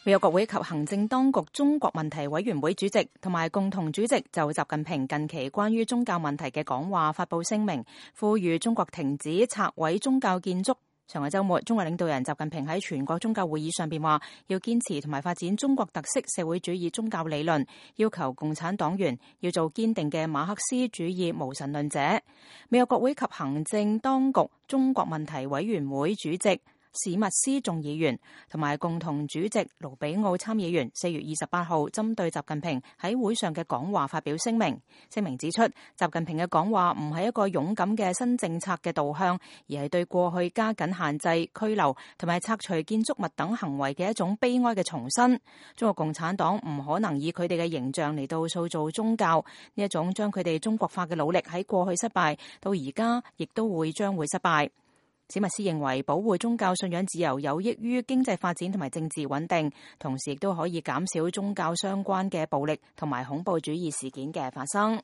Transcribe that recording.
美國國會及行政當局中國問題委員會主席同埋共同主席就習近平近期關於宗教問題嘅講話發佈聲明，呼籲中國停止拆毀宗教建築。上個週末，中國領導人習近平喺全國宗教會議上邊話，要堅持同埋發展中國特色社會主義宗教理論，要求共產黨員要做堅定嘅馬克思主義無神論者。美國國會及行政當局中國問題委員會主席史密斯眾議員同埋共同主席盧比奧參議員4月28號針對習近平喺會上嘅講話發表聲明。聲明指出，習近平嘅講話唔係一個勇敢嘅新政策嘅導向，而係對過去加緊限制、拘留同埋拆除建築物等行為嘅一種悲哀嘅重申。中國共產黨唔可能以佢哋嘅形象嚟到塑造宗教，呢一種將佢哋中國化嘅努力喺過去失敗，到而家亦都會將會失敗。史密斯認為保護宗教信仰自由有益於經濟發展同埋政治穩定，同時亦都可以減少宗教相關嘅暴力同埋恐怖主義事件嘅發生。